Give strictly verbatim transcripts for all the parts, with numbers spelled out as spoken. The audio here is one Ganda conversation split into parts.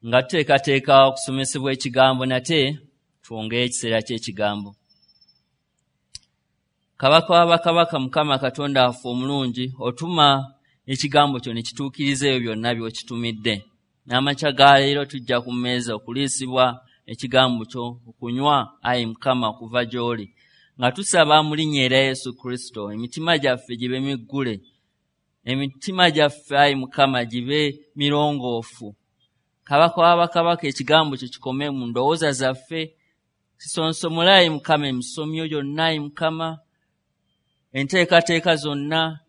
Nga tuteekateeka okusomesebwa ekigambo, nate twongere ekiseera ky'ekigambo. Kabaka w'abakabaka, Mukama Katonda waffe omulungi, otuma ekigambo kyo ne kituukiriza ebyo byonna by'okitumidde. N'amakya ga leero tujja ku mmeeza okuliisibwa ekigambo kyo, okunywa, ayi Mukama, okuva gy'oli. Nga tusaba mu linnya erya Yesu Kristo, emitima gyaffe gibe miggule, emitima gyaffe, ayi Mukama, gibe mirongoofu. Kabaka w'abakabaka, ekigambo kyo kikome mu ndowooza zaffe, kisonsomole, ayi Mukama, emisomyo gyonna, ayi Mukama, enteekateeka zonna,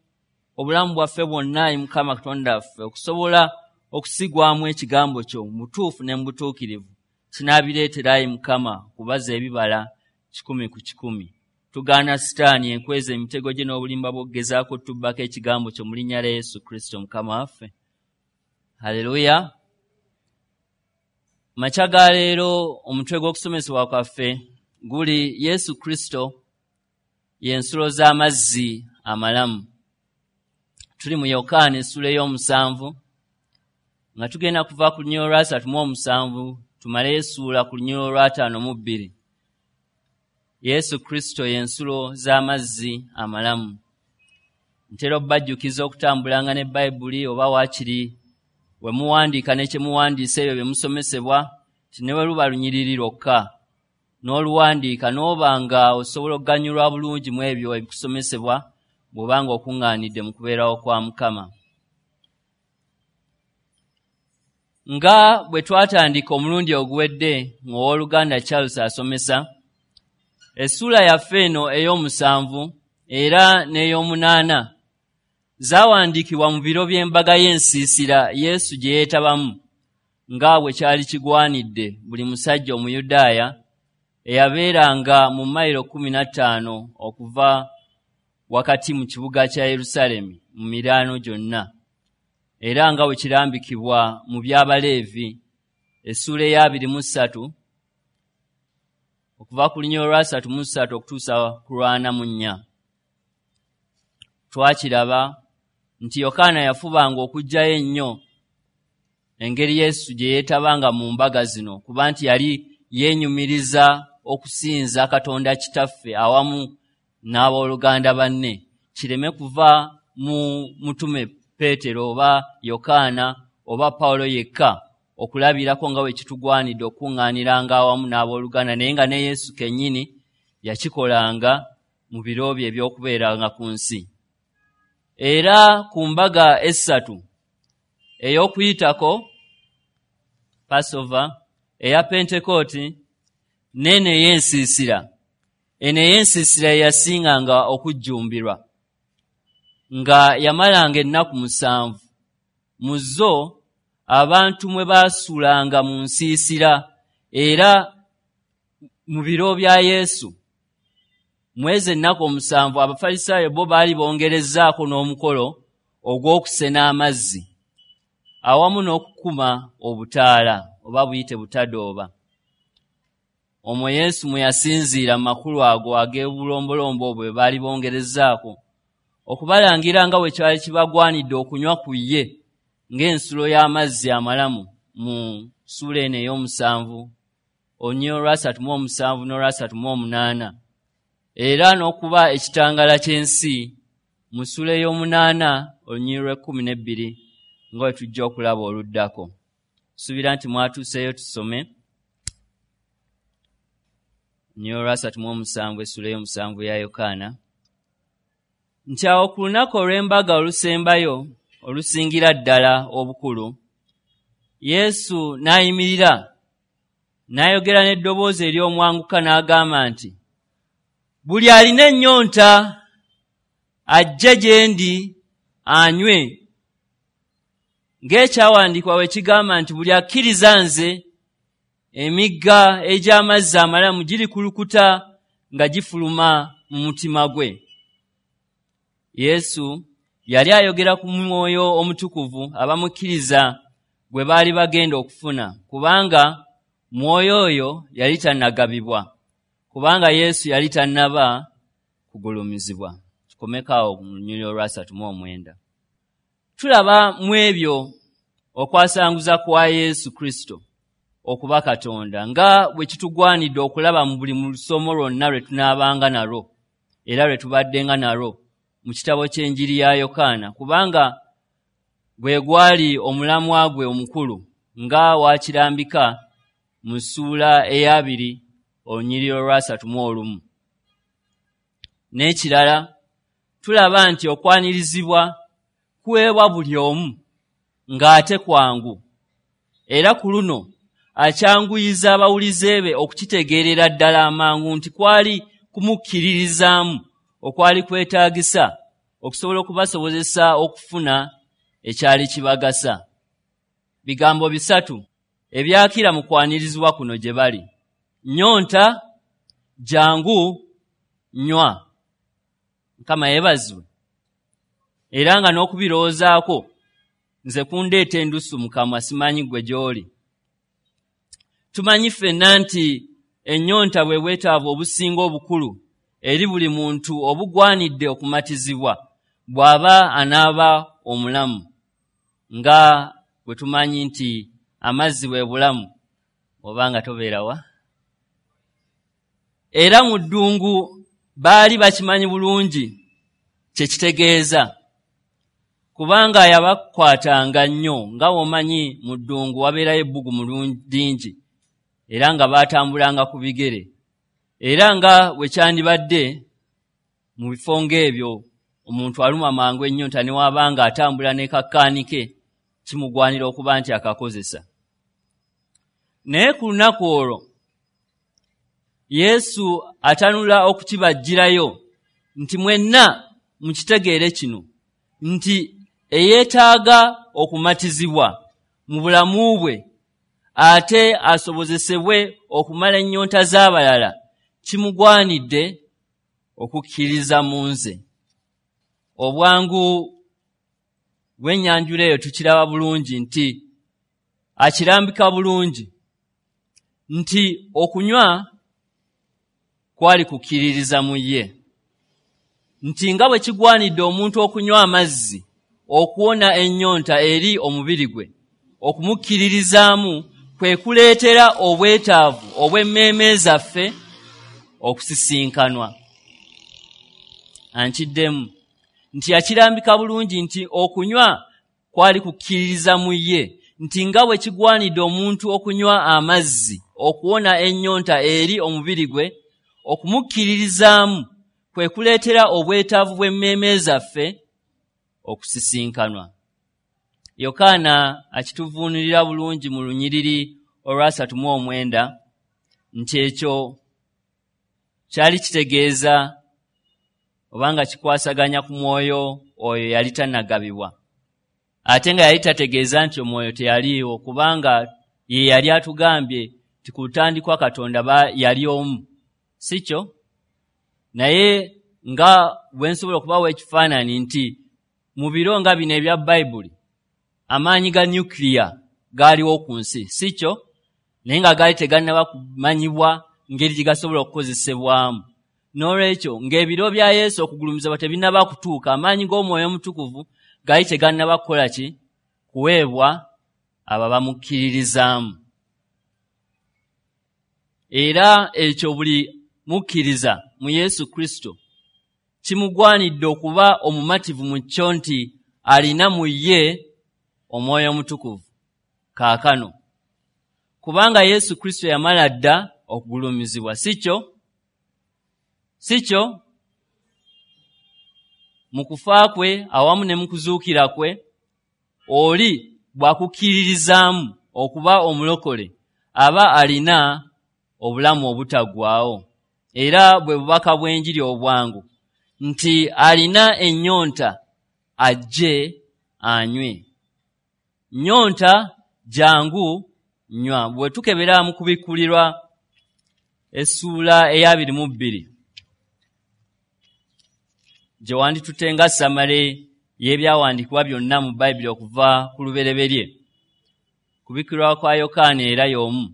obulamu bwaffe bwonna, ayi Mukama Katonda waffe, okusobola okusigwamu ekigambo kyo mu butuufu ne mu butuukirivu. Kinaabireetera, ayi Mukama, okubaza ebibala kikumi ku kikumi. Tugaana Sitaani enkweza emitego gye n'obulimba bw'okugezaako otubbako ekigambo kyo mu linnya lya Yesu Kristo Mukama waffe. Haleluya. Makya ga leero omutwe gw'okusomesebwa kwaffe guli Yesu Kristo y'ensulo z'amazzi amalamu. Tuli mu Yokaana essuula ey'omusanvu, nga tugenda kuva ku lunyiriri olwasatu mu omusanvu tumaleyo essuula ku lunyiriri olwataano mu bbiri. Yesu Kristo y'ensulo z'amazzi amalamu. Ntera okubajjukiza okutambulanga ne Bayibuli, oba waakiri we muwandiika ne kye muwandiisa ebyo bye musomesebwa, nti ne bwe luba lunyiriri lwokka n'oluwandiika, n'oba nga osobola okuganyulwa bulungi mu ebyo ebikusomesebwa bw'oba nga okuŋŋaanidde mu kubeerawo kwa Mukama. Nga bwe twatandika omulundi oguwedde ng'owooluganda Charles asomesa, essuula yaffe eno ey'omusanvu era n'ey'omunaana zaawandiikibwa mu biro by'embaga y'ensiisira Yesu gye yeetabamu, nga bwe kyali kigwanidde buli musajja Omuyudaaya eyabeeranga mu mayiro kkumi na ttaano okuva wakati mu kibuga kya Yerusaalemi mu miraano gyonna, era nga bwe kirambikibwa mu by'Abaleevi essuula ey'abiri mu ssatu okuva ku lunyiriri olwasatu mu ssatu okutuusa ku lwana mu nnya. Twakiraba nti Yokaana yafubanga okuggyayo ennyo engeri Yesu gye yeetabanga mu mbaga zino, kuba nti yali yeenyumiriza okusinza Katonda Kitaffe awamu n'abooluganda banne, kireme kuva mu mutume Peetero oba Yokaana oba Pawulo yekka okulabirako nga bwe kitugwanidde okukuŋŋaaniranga awamu n'abooluganda, naye nga ne Yesu kennyini yakikolanga mu biro bye eby'okubeeranga ku nsi. Era ku mbaga essatu, ey'Okuyitako, Passover, eya Pentekooti n'eno ey'ensiisira. Eno ey'ensiisira ye yasinganga okujjumbirwa, nga yamalanga ennaku musanvu. Mu zo abantu mwe baasulanga mu nsiisira, era mu biro bya Yesu mwezi ennaku omusanvu Abafalisaayo bo baali bongerezzaako n'omukolo ogw'okusena amazzi awamu n'okukuma obutaala oba buyite butadooba. Omwo Yesu mwe yasinziira mu makulu ago ag'obulombolombo obwo bwe baali bongerezzaako okubalangira nga bwe kyali kibagwanidde okunywa ku ye ng'ensulo y'amazzi amalamu mu ssuula eno ey'omusanvu olunyiriri olwasatu mu omusanvu n'olwasatu mu omunaana, era n'okuba ekitangaala ky'ensi mu ssuula ey'omunaana olunyiriri lw'ekkumi n'ebbiri nga bwe tujja okulaba oluddako. Suubira nti mwatuuseeyo tusome olunyiriri olwasatu mu omusanvu essuula ey'omusanvu ya Yokaana, nti awo ku lunaku olw'embaga olusembayo olusingira ddala obukulu, Yesu n'ayimirira n'ayogera n'eddoboozi ery'omwanguka n'agamba nti, buli alina ennyonta ajje gye ndi anywe, ng'ekyawandiikibwa bwe kigamba nti buli akkiriza nze emigga egy'amazzi amalamu girikulukuta nga gifuluma mu mutima gwe. Yesu yali ayogera ku Mwoyo Omutukuvu abamukkiriza gwe baali bagenda okufuna, kubanga Mwoyo oyo yali tannagabibwa, kubanga Yesu yali tannaba kugulumizibwa. Tukomeko awo mu lunyiriri olwasatu mu omwenda. Tulaba mu ebyo okwasanguza kwa Yesu Kristo okuba Katonda, nga bwe kitugwanidde okulaba mu buli lusomo lwonna lwe tunaabanga nalwo era lwe tubaddenga nalwo mu kitabo ky'enjiri ya Yokaana, kubanga gwe gwali omulamwa gwe omukulu nga wakirambika mu ssuula ey'abiri olunyiriri olwasatu mu olumu. N'ekirala, tulaba nti okwanirizibwa kuweebwa buli omu ng'ate kwangu, era ku luno akyanguyiza abawulize be okukitegeerera ddala amangu nti kwali kumukkiririzaamu okwali kwetaagisa okusobola okubasobozesa okufuna ekyali kibagasa. Bigambo bisatu ebyakira mu kwanirizibwa kuno gye bali: nnyonta, jangu, nywa. Mukama yeebazibwe. Era nga n'okubirowoozaako nze kundeeta endusu mu kamwa, simanyi ggwe gy'oli. Tumanyi ffenna nti ennyonta bwe bwetaavu obusinga obukulu eri buli muntu obugwanidde okumatizibwa bw'aba anaaba omulamu, nga bwe tumanyi nti amazzi bwe bulamu oba nga tobeerawa. Era mu ddungu baali bakimanyi bulungi kye kitegeeza, kubanga yabakwatanga nnyo. Nga bw'omanyi mu ddungu wabeerayo ebbugumu lingi, era nga baatambulanga ku bigere, era nga bwe kyandibadde mu bifo ng'ebyo omuntu aluma mangu ennyonta ne waba nga atambula ne kakkaani ke, kimugwanira okuba nti akakozesa. Naye ku lunaku olwo Yesu atanula okukibajjirayo nti mwenna mukitegeere kino, nti eyeetaaga okumatizibwa mu bulamu bwe ate asobozesebwe okumala ennyonta z'abalala, kimugwanidde okukkiriza mu nze. Obwangu bw'ennyanjula eyo tukiraba bulungi nti akirambika bulungi nti okunywa kwali kukkiririza mu ye, nti nga bwe kigwanidde omuntu okunywa amazzi okuwona ennyonta eri omubiri gwe, okumukkiririzaamu kwe kuleetera obwetaavu obw'emmeeme zaffe okusisinkanwa. Ankiddemu nti yakirambika bulungi nti okunywa kwali kukkiririza mu ye, nti nga bwe kigwanidde omuntu okunywa amazzi okuwona ennyonta eri omubiri gwe, okumukkiririzaamu kwe kuleetera obwetaavu bw'emmeeme zaffe okusisinkanwa. Yokaana akituvuunulira bulungi mu lunyiriri olwasatu mu omwenda nti ekyo kyali kitegeeza obanga kikwasaganya ku mwoyo oyo yali tannagabibwa, ate nga yali tategeeza nti omwoyo teyaliiwo, kubanga ye yali atugambye nti ku lutandikwa Katonda yali omu, si kyo? Naye nga bwe nsobola okubawa ekifaananyi nti mu biro nga bino ebya Bayibuli amaanyi ga nuclear gaaliwo ku nsi, si kyo? Naye nga gaali tegannaba kumanyibwa ngeri gye gasobola okukozesebwamu. N'olwekyo ng'ebiro bya Yesu okugulumizibwa tebinnaba kutuuka, amaanyi g'Omwoyo Omutukuvu gaali tegannaba kukola ki? Kuweebwa abo bamukkiririzaamu. Era ekyo buli mukkiriza mu Yesu Kristo kimugwanidde okuba omumativu mu kyo nti alina mu ye Omwoyo Omutukuvu kaakano, kubanga Yesu Kristo yamala dda okugulumizibwa, si kyo? Si kyo? Mu kufa kwe awamu ne mu kuzuukira kwe, oli bw'akukkiririzaamu okuba omulokole aba alina obulamu obutaggwaawo. Era bwe bubaka bw'enjiri obwangu nti alina ennyonta ajje anywe. Nnyonta, jangu, nywa. Bwe tukebera mu kubikkulirwa essuula ey'abiri mu bbiri gye wanditutte nga samale y'ebyawandiikibwa byonna mu Bayibuli okuva ku lubereberye, kubikkulirwa kwa Yokaana era y'omu,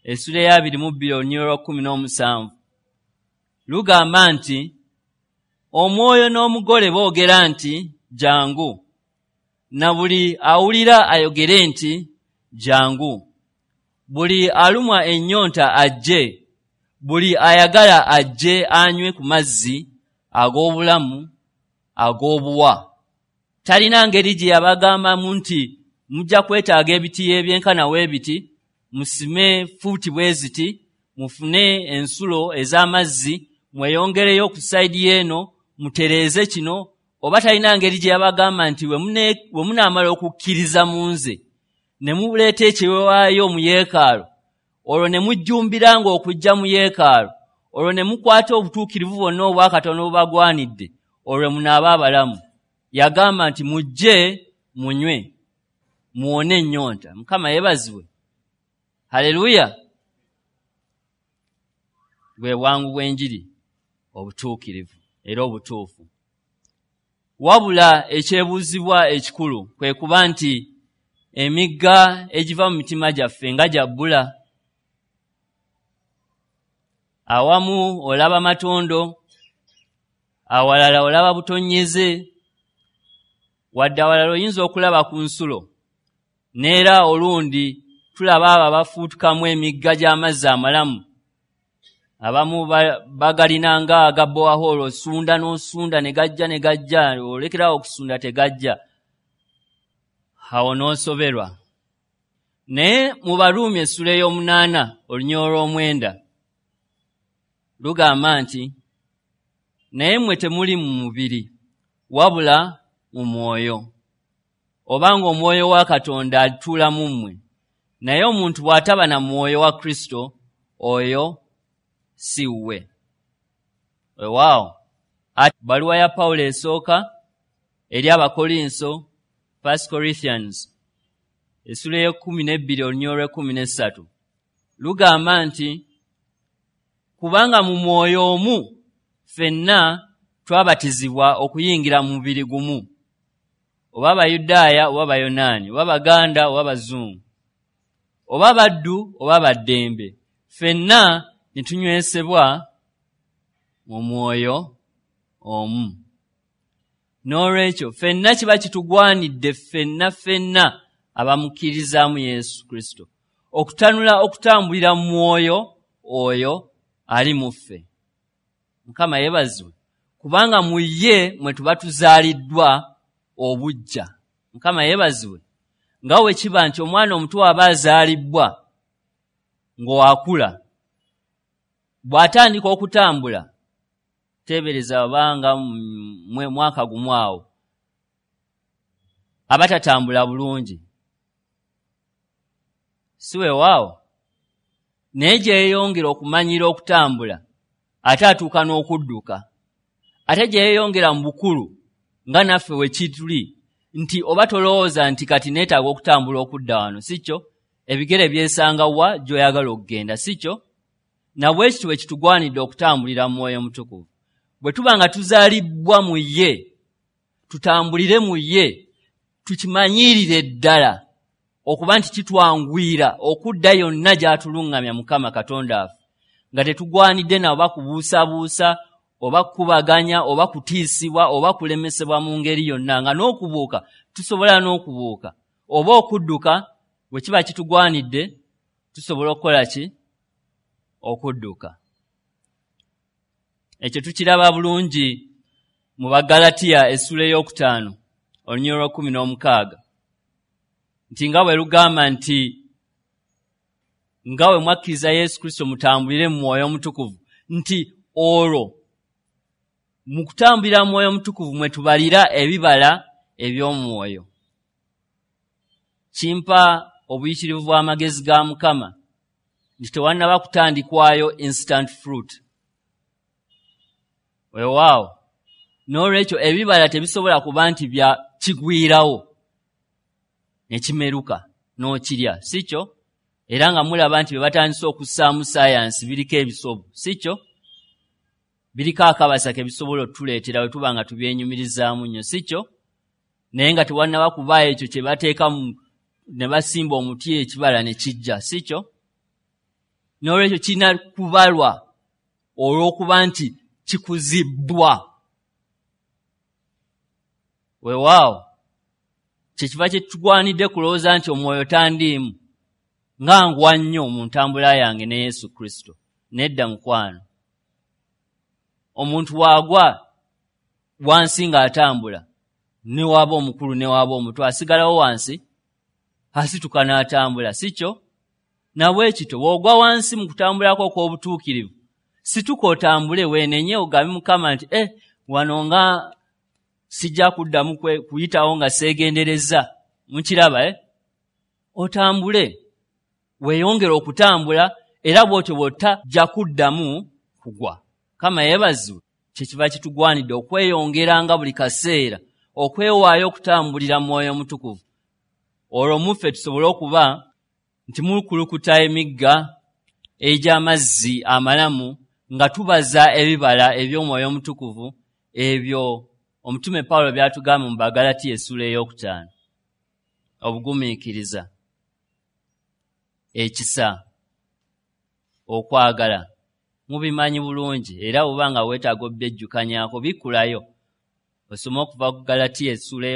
essuula ey'abiri mu bbiri olunyiriri olwa kkumi n'omusanvu lugamba nti omwoyo n'omugole boogera nti jangu, na buli awulira ayogere nti jangu, Buli alumwa ennyonta ajje, buli ayagala ajje anywe ku mazzi ag'obulamu ag'obuwa. Talina ngeri gye yabagambamu nti mujja kwetaaga ebitiyo ebyenkana w'ebiti, musime fuuti bwe ziti, mufune ensulo ez'amazzi, mweyongereyo ku sayidi eno, mutereeze kino. Oba talina ngeri gye yabagamba nti we munaamala okukkiriza mu nze ne muleeta ekiweebwayo mu yeekaalu, olwo ne mujjumbiranga okujja mu yeekaalu, olwo ne mukwata obutuukirivu bwonna obwa Katonda obubagwanidde, olwo munaaba abalamu. Yagamba nti mujje munywe, muwone ennyonta. Mukama yeebazibwe. Haleluya. Bwe bwangu bw'enjiri, obutuukirivu era obutuufu. Wabula ekyebuuzibwa ekikulu kwe kuba nti emigga egiva mu mitima gyaffe nga gya bbula. Awamu olaba matondo, awalala olaba butonyeze, wadde awalala oyinza okulaba ku nsulo, n'era olundi tulaba abo abafuutukamu emigga gy'amazzi amalamu. Abamu bagalina nga aga borehole, osunda n'osunda ne gajja ne gajja, olekerawo okusunda tegajja, awo n'osoberwa. Naye mu Baruumi essula ey'omunaana olunyiriri olw'omwenda lugamba nti naye mmwe temuli mu mubiri wabula mu mwoyo, obanga omwoyo wa Katonda atuula mu mmwe. Naye omuntu bw'ataba na mwoyo wa Kristo, oyo si wuwe. Weewaawo, bbaluwa ya Pawulo esooka eri Abakolinso, First Corinthians, essula ey'ekkumi n'ebbiri olunyiriri olw'ekkumi n'essatu lugamba nti kubanga mu mwoyo omu ffenna twabatizibwa okuyingira mu mubiri gumu, oba Bayudaaya oba Bayonaani, oba Baganda oba Bazungu, oba baddu oba baddembe, ffenna ne tunywesebwa mu mwoyo omu. N'olwekyo ffenna kiba kitugwanidde ffenna ffenna abamukkirizaamu Yesu Kristo okutanula okutambulira mu mwoyo oyo ali mu ffe. Mukama yeebazibwe, kubanga mu ye mwe tuba tuzaaliddwa obuggya. Mukama yeebazibwe. Nga bwe kiba nti omwana omuto aba azaalibbwa ng'akula, bw'atandika okutambula, teebereza obanga mwaka gumu awo, aba tatambula bulungi, si weewaawo? Naye gyeyeyongera okumanyira okutambula, ate atuuka n'okudduka. Ate gyeyeyongera mu bukulu nga naffe we kituli, nti oba tolowooza nti kati neetaaga okutambula okudda wano, si kyo? Ebigere byesanga wa gy'oyagala okugenda, si kyo? Na bwe kityo bwe kitugwanidde okutambulira mu Mwoyo Mutukuvu. Bwe tuba nga tuzaalibbwa mu ye, tutambulire mu ye, tukimanyirire ddala okuba nti kitwanguyira okudda yonna gy'atuluŋŋamya Mukama Katonda waffe, nga tetugwanidde na oba kubuusabuusa oba kukubaganya oba kutiisibwa oba kulemesebwa mu ngeri yonna, nga n'okubuuka tusobola n'okubuuka oba okudduka bwe kiba kitugwanidde tusobola okukola ki? Okudduka. Ekyo tukiraba bulungi mu Bagalatiya essula ey'okutaano olunyiriri olw'ekkumi n'omukaaga, nti nga bwe lugamba nti nga bwe mwakkiriza Yesu Kristo mutambulire mu Mwoyo Omutukuvu, nti olwo mu kutambulira mu Mwoyo Omutukuvu mwe tubalira ebibala eby'omwoyo. Kimpa obuyitirivu bw'amagezi ga Mukama nti tewannaba kutandikwayo instant fruit. Weewaawo, n'olwekyo ebibala tebisobola kuba nti bya kigwirawo ne kimeruka n'okirya, si kyo? Era nga mulaba nti bye batandise okussaamu saayansi biriko ebisobu, si kyo? Biriko akabasa ke bisobola otuleetera bwe tuba nga tubyenyumirizaamu nnyo, si kyo? Naye nga tewannaba kubaayo ekyo kye bateeka ne basimba omuti ekibala ne kijja, si kyo? N'olwekyo kirina kubalwa olw'okuba nti kikuzibbwa. Weewaawo, kyekiva kye tugwanidde kulowooza nti omwoyo tandiimu. Nga ngwa nnyo mu ntambula yange ne Yesu Kristo. Nedda mukwano. Omuntu waagwa wansi ng'atambula, ne waaba omukulu ne waaba omuto, asigalawo wansi, asituka n'atambula, si kyo? Nabwe kityo bw'ogwa wansi mu kutambulako okw'obutuukirivu, situka otambule, weenenye, ogambe Mukama nti eh, wano nga sijja kuddamu kuyitawo nga seegendereza. Mukiraba, eh? Otambule, weeyongere okutambula, era bw'otyo bw'otajja kuddamu kugwa. Mukama yeebazibwe. Kyekiva kitugwanidde okweyongeranga buli kaseera okwewaayo okutambulira mu Mwoyo Omutukuvu, olwo muffe tusobole okuba nti mukulukuta emigga egy'amazzi amalamu nga tubaza ebibala eby'Omwoyo Omutukuvu, ebyo omutume Pawulo by'atugamba mu Bagalatiya essuula ey'okutaano. Obugumiikiriza, ekisa, okwagala, mubimanyi bulungi, era bw'oba nga weetaaga obyejjukanyaako bikkulayo osome okuva ku Galatiya essuula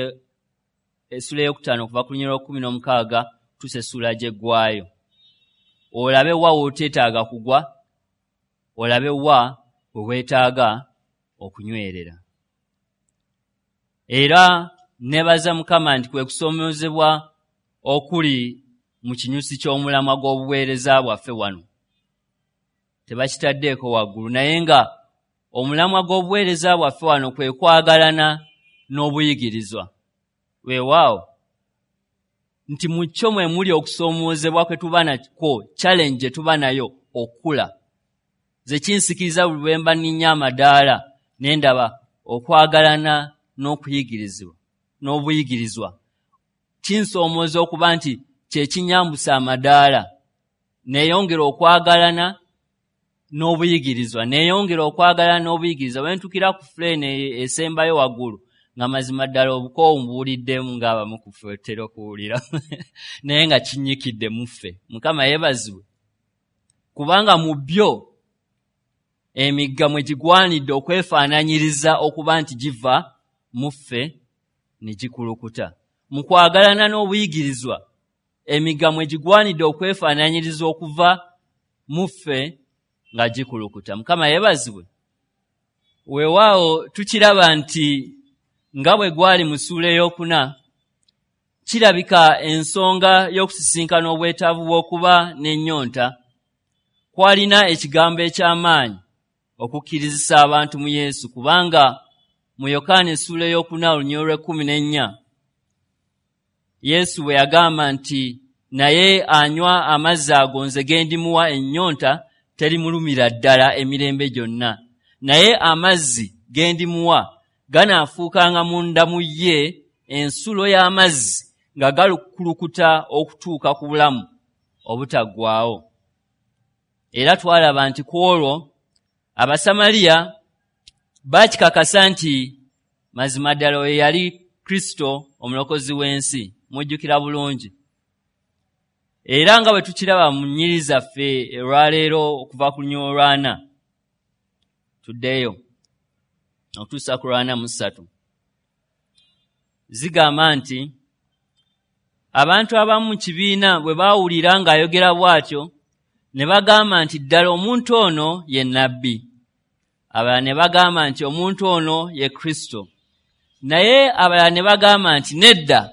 ey'okutaano okuva ku lunyiriri lw'ekkumi n'omukaaga okutuusa essuula gy'eggwaayo, olabe wa w'oteetaaga kugwa, olabe wa we weetaaga okunywerera. Era nebaza Mukama nti kwe kusoomoozebwa okuli mu kinyusi ky'omulamwa gw'obuweereza bwaffe wano. Tebakitaddeeko waggulu, naye nga omulamwa gw'obuweereza bwaffe wano kwe kwagalana n'obuyigirizwa. Weewaawo nti mu kyo mwe muli okusoomoozebwa kwe tuba nakwo, challenge gye tuba nayo okukula. Nze kinsikiriza buli lwe mba nninnya amadaala ne ndaba okwagalana n'okuyigirizibwa n'obuyigirizwa. Kinsoomooza okuba nti kye kinyambusa amadaala, neeyongera okwagalana n'obuyigirizwa, neeyongera okwagalana n'obuyigirizwa. Bwe ntuukira ku fuleeni esembayo waggulu, nga mazima ddala obukoowu mbuwuliddemu ng'abamu ku ffe otera okuwulira, naye nga kinnyikidde mu ffe. Mukama yeebazibwe, kubanga mu byo emigga mwe gigwanidde okwefaananyiriza okuba nti giva mu ffe ne gikulukuta. Mu kwagalana n'obuyigirizwa emigga mwe gigwanidde okwefaananyiriza okuva mu ffe nga gikulukuta. Mukama yeebazibwe. Weewaawo tukiraba nti nga bwe gwali mu ssuula ey'okuna, kirabika ensonga y'okusisinkana obwetaavu bw'okuba n'ennyonta kwalina ekigambo eky'amaanyi okukkirizisa abantu mu Yesu, kubanga mu Yokaana essuula ey'okuna olunyiriri lw'ekkumi n'ennya Yesu bwe yagamba nti naye anywa amazzi ago nze ge ndimuwa ennyonta terimulumira ddala emirembe gyonna, naye amazzi ge ndimuwa ganaafuukanga munda mu ye ensulo y'amazzi nga galukulukuta okutuuka ku bulamu obutaggwaawo. Era twalaba nti ku olwo Abasamaliya baakikakasa nti mazima ddala oyo yali Kristo omulokozi w'ensi. Mujjukira bulungi. Era nga bwe tukiraba mu nnyiriri zaffe olwaleero okuva ku lunyiriri olwana tuddeyo okutuusa ku lwana mu ssatu, zigamba nti abantu abamu mu kibiina bwe baawulira ng'ayogera bw'atyo ne bagamba nti ddala omuntu ono ye nnabbi. Abalala ne bagamba nti omuntu ono ye Kristo. Naye abalala ne bagamba nti nedda,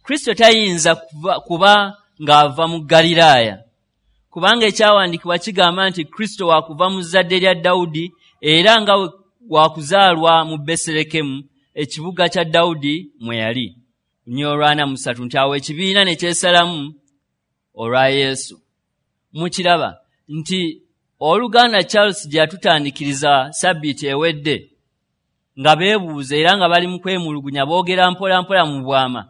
Kristo tayinza kuba ng'ava mu Ggaliraaya, kubanga ekyawandiikibwa kigamba nti Kristo wakuva mu zzadde lya Dawudi era nga wakuzaalwa mu Besirekemu, ekibuga kya Dawudi mwe yali. Lunyiriri olwana mu ssatu nti awo ekibiina ne kyesalamu olwa Yesu. Mukiraba nti oluganda Charles gye yatutandikiriza sabbiiti ewedde nga beebuuza era nga bali mu kwemulugunya, boogera mpola mpola mu bwama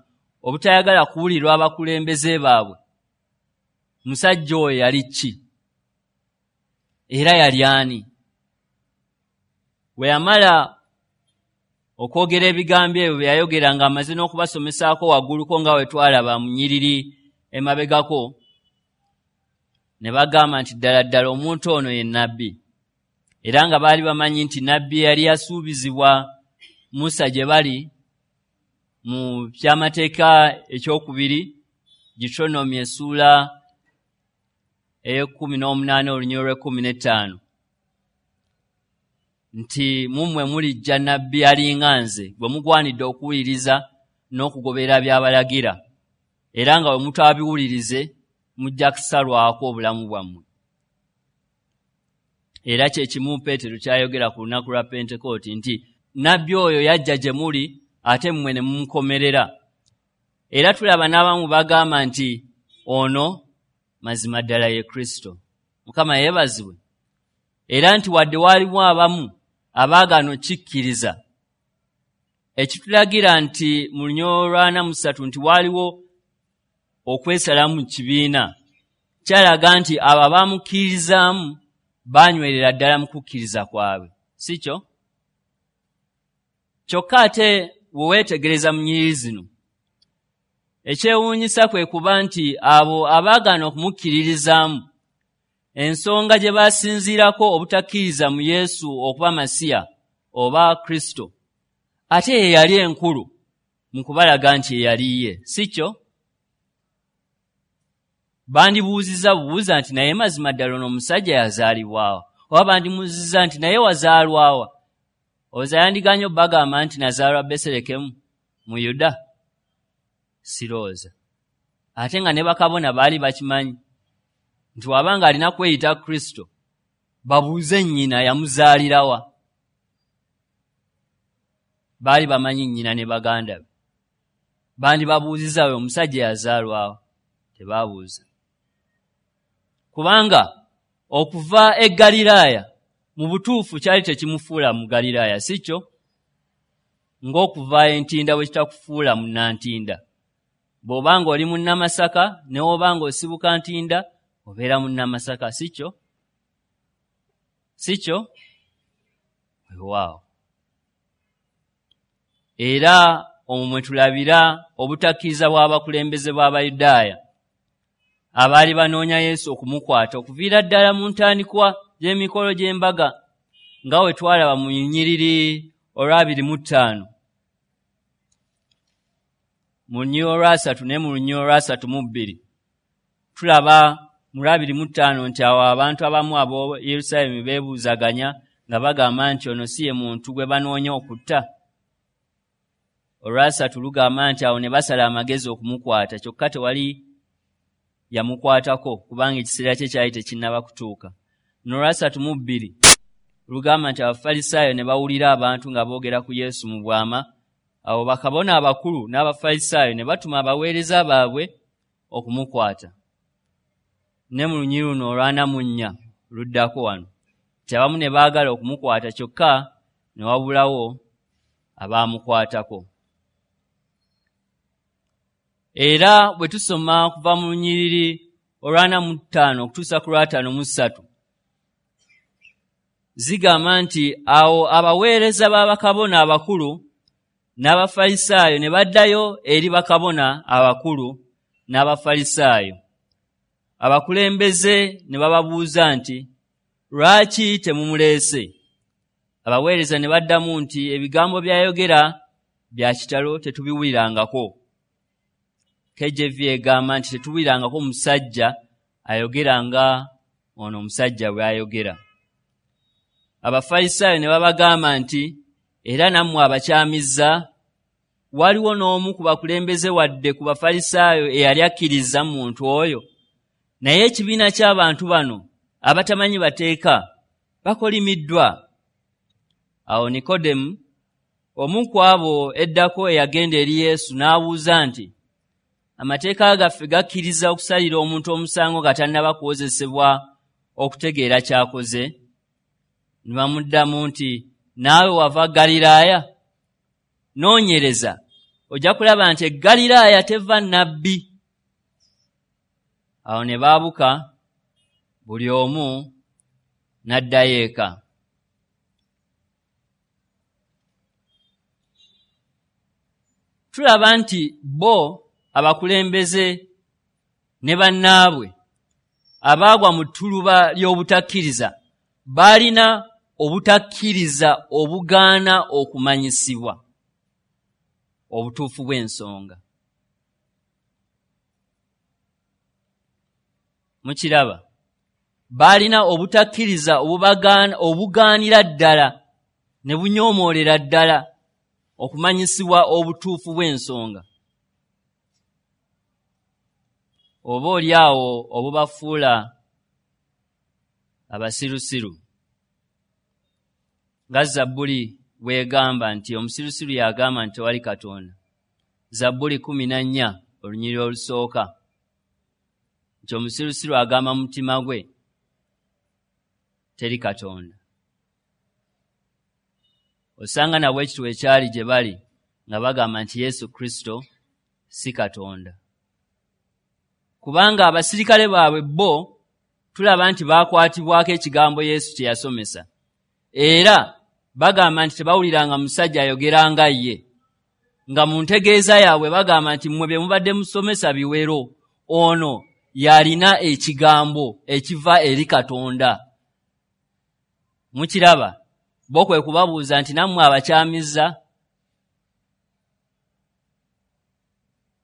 obutayagala kuwulirwa abakulembeze baabwe. Musajja oyo yali ki? Era yali ani? Bwe yamala okwogera ebigambo ebyo bye yayogera ng'amaze n'okubasomesaako wagguluko nga bwe twalaba mu nnyiriri emabegako, ne bagamba nti ddala ddala omuntu ono ye nnabbi. Era nga baali bamanyi nti nnabbi yali yasuubizibwa Musa gye bali mu kyamateeka ekyokubiri, Deuteronomy essuula ey'ekkumi n'omunaana olunyiriri lw'ekkumi n'ettaano nti mummwe mulijja nabbi alinga nze gwe mugwanidde okuwuliriza n'okugoberera by'abalagira, era nga bwe mutabiwulirize mujja kusalwako obulamu bwammwe. Era kye kimu Peetero kyayogera ku lunaku lwa Pentekooti nti nabbi oyo yajja gye muli ate mmwe ne mumukomerera. Era tulaba n'abamu bagamba nti ono mazima ddala ye Kristo. Mukama yeebazibwe. Era nti wadde waalimu abamu abaagaana okkikkiriza, ekitulagira nti mu lunyiriri lw'ana mu ssatu nti waaliwo okwesalamu mu kibiina, kyalaga nti abo abamukkirizaamu baanywerera ddala mu kukkiriza kwabwe, si kyo? Kyokka ate bwe weetegereza mu nnyiriri zino, ekyewuunyisa kwe kuba nti abo abaagaana okumukkiririzaamu, ensonga gye basinziirako obutakkiriza mu Yesu okuba Masiya oba Kristo, ate ye yali enkulu mu kubalaga nti ye yali ye, si kyo? Bandibuuzizza bubuuza nti naye mazima ddala ono omusajja yazaalibwawa, oba bandimubuuzizza nti naye wazaalwawa? Oza yandiganye obbagamba nti nazaalwa Besirekemu mu Yuda? Sirowooza. Ate nga ne bakabona baali bakimanyi nti wabanga alina kweyita Kristo, babuuze nnyina yamuzaalirawa. Baali bamanyi nnyina ne baganda be, bandibabuuzizza oyo omusajja yazaalwawa. Tebaabuuza, kubanga okuva e Ggaliraaya mu butuufu kyali tekimufuula mu Ggaliraaya, si kyo? Ng'okuva Entinda bwe kitakufuula munnantinda. Bw'obanga oli munnamasaka ne w'obanga osibuka Ntinda, obeera munnamasaka, si kyo? Si kyo? Weewaawo. Era omwo mwe tulabira obutakkiriza bw'abakulembeze bw'Abayudaaya abaali banoonya Yesu okumukwata okuviira ddala mu ntandikwa y'emikolo gy'embaga, nga we twalaba mu nnyiriri olw'abiri mu ttaano, mu lunyiriri olwasatu ne mu lunyiriri olwasatu mu bbiri. Tulaba mu lwabiri mu ttaano nti awo abantu abamu ab'o Yerusaalemi beebuuzaganya nga bagamba nti ono si ye muntu gwe banoonya okutta. Olwasatu lugamba nti awo ne basala amagezi okumukwata, kyokka tewali yamukwatako kubanga ekiseera kye kyali tekinnaba kutuuka. N'olwasatu mu bbiri lugamba nti Abafalisaayo ne bawulira abantu nga boogera ku Yesu mu bwama. Awo bakabona abakulu n'Abafalisaayo ne batuma abaweereza baabwe okumukwata. Ne mu lunyiriri luno olw'ana mu nnya luddako wano nti abamu ne baagala okumukwata, kyokka ne wabulawo abaamukwatako. Era bwe tusoma okuva mu lunyiriri olw'ana mu ttaano okutuusa ku lw'ataano mu ssatu, zigamba nti awo abaweereza b'abakabona abakulu n'Abafalisaayo ne baddayo eri bakabona abakulu n'Abafalisaayo. Abakulembeze ne bababuuza nti lwaki temumuleese? Abaweereza ne baddamu nti ebigambo by'ayogera bya kitalo, tetubiwulirangako. K J V egamba nti tetuwulirangako musajja ayogera nga ono omusajja bw'ayogera. Abafalisaayo ne babagamba nti era nammwe abakyamizza? Waliwo n'omu ku bakulembeze wadde ku Bafalisaayo eyali akkiriza mu muntu oyo? Naye ekibiina ky'abantu bano abatamanyi bateeka bakolimiddwa. Awo Nikodemu, omu ku abo eddako eyagenda eri Yesu, n'abuuza nti amateeka gaffe gakkiriza okusalira omuntu omusango nga tannaba kuwozesebwa okutegeera ky'akoze? Ne bamuddamu nti naawe wava Ggaliraaya? Noonyereza, ojja kulaba nti e Ggaliraaya teva nnabbi. Awo ne baabuka buli omu n'addayo eka. Tulaba nti bo abakulembeze ne bannaabwe abaagwa mu ttuluba ly'obutakkiriza baalina obutakkiriza obugaana okumanyisibwa obutuufu bw'ensonga. Mukiraba? Baalina obutakkiriza obugaanira ddala ne bunyoomoolera ddala okumanyisibwa obutuufu bw'ensonga, oba oli awo obubafuula abasirusiru. Nga Zabbuli bw'egamba nti omusirusiru y'agamba nti tewali Katonda. Zabbuli kkumi na nnya olunyiriri olusooka, nti omusirusiru agamba mu mutima gwe teri Katonda. Osanga nabwe ekitwo ekyali gye bali nga bagamba nti Yesu Kristo si Katonda, kubanga abasirikale baabwe bo tulaba nti baakwatibwako ekigambo Yesu kye yasomesa, era bagamba nti tebawuliranga musajja ayogera nga ye, nga mu ntegeeza yaabwe bagamba nti mmwe bye mubadde musomesa biwero, ono yalina ekigambo ekiva eri Katonda. Mukiraba, bo kwe kubabuuza nti nammwe abakyamizza?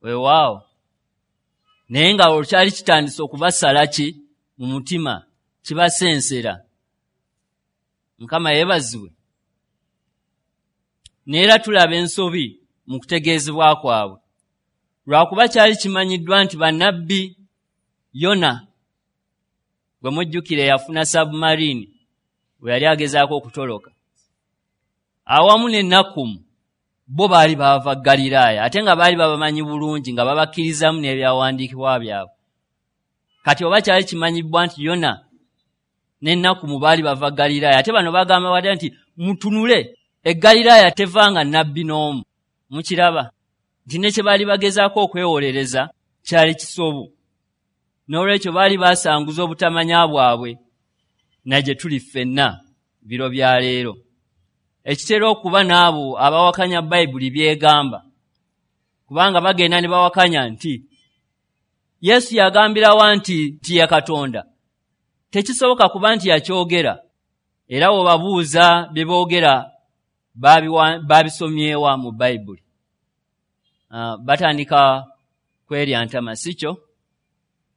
Weewaawo. Naye nga olwo kyali kitandise okubasala ki mu mutima, kibasensera. Mukama yeebazibwe. Neera tulaba ensobi mu kutegeezebwa kwabwe, lwakuba kyali kimanyiddwa nti bannabbi Yona gwe mujjukira eyafuna submarine bwe yali agezaako okutoloka, awamu ne Nakumu, bo baali baava Ggaliraaya, ate nga baali babamanyi bulungi nga babakkirizamu n'ebyawandiikibwa byabwe. Kati oba kyali kimanyibwa nti Yona ne Nakumu baali bava Ggaliraaya, ate bano bagamba wadde nti mutunule, e Ggaliraaya tevanga nnabbi n'omu. Mukiraba nti ne kye baali bagezaako okwewolereza kyali kisobu. N'olwekyo baali basanguza obutamanya bwabwe, na gye tuli ffenna biro bya leero. Ekitera okuba n'abo abawakanya Bayibuli by'egamba, kubanga bagenda ne bawakanya nti Yesu yagambirawa nti nti ye Katonda. Tekisoboka kuba nti yakyogera, era bw'obabuuza bye boogera babisomyewa mu Bayibuli. Uh, batandika kwerya ntama, si kyo?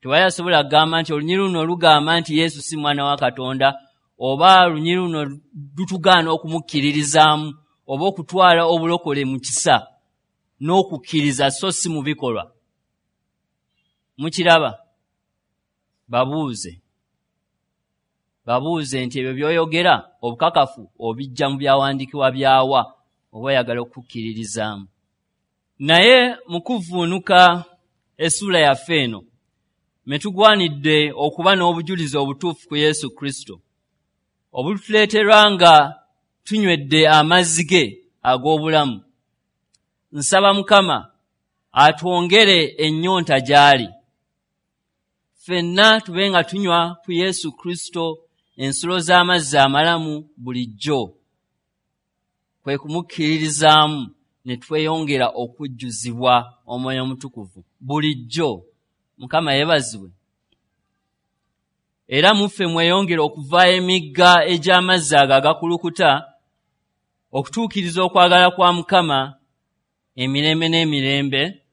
Tewali asobola kugamba nti olunyiriri luno lugamba nti Yesu si mwana wa Katonda, oba olunyiriri luno lutugaana okumukkiririzaamu oba okutwala obulokole mu kisa n'okukkiriza so si mu bikolwa. Mukiraba? Babuuze babuuze nti ebyo by'oyogera obukakafu obijja mu byawandiikibwa byawa oba oyagala okukkiririzaamu. Naye mu kuvvuunuka essuula yaffe eno me tugwanidde okuba n'obujulizi obutuufu ku Yesu Kristo, obutuleeterwa nga tunywedde amazzi ge ag'obulamu. Nsaba Mukama atwongere ennyonta gy'ali, ffenna tube nga tunywa ku Yesu Kristo ensulo z'amazzi amalamu bulijjo, kwe kumukkiririzaamu ne tweyongera okujjuzibwa Omwoyo Omutukuvu bulijjo. Mukama yeebazibwe. Era muffe mweyongere okuvaayo emigga egy'amazzi ago agakulukuta okutuukiriza okwagala kwa Mukama emirembe n'emirembe.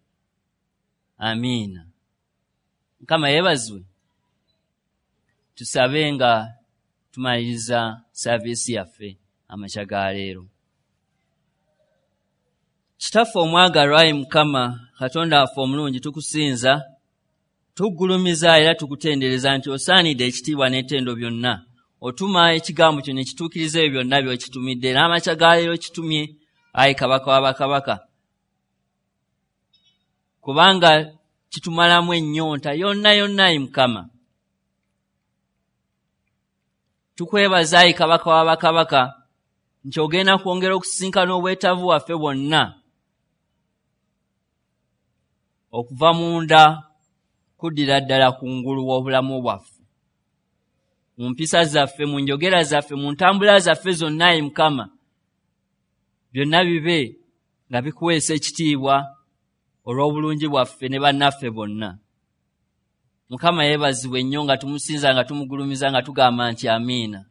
Amiina. Mukama yeebazibwe. Tusabe nga tumaliriza saaviisi yaffe amakya ga leero. Kitaffe omwagalwa, ayi Mukama Katonda waffe omulungi, tukusinza, tuggulumiza era tukutendereza nti osaanidde ekitiibwa n'ettendo byonna. Otuma ekigambo kyo ne kituukiriza ebyo byonna by'okitumidde, n'amakya ga leero kitumye, ayi Kabaka w'abakabaka, kubanga kitumalamu ennyonta yonna yonna, ayi Mukama. Tukwebaza, ayi Kabaka w'abakabaka, nti ogenda kwongera okusisinkana obwetaavu bwaffe bwonna okuva munda kuddira ddala ku ngulu w'obulamu bwaffe, mu mpisa zaffe, mu njogera zaffe, mu ntambula zaffe zonna, ayi Mukama, byonna bibe nga bikuweesa ekitiibwa olw'obulungi bwaffe ne bannaffe bonna. Mukama yeebazibwe nnyo nga tumusinza, nga tumugulumiza, nga tugamba nti amiina.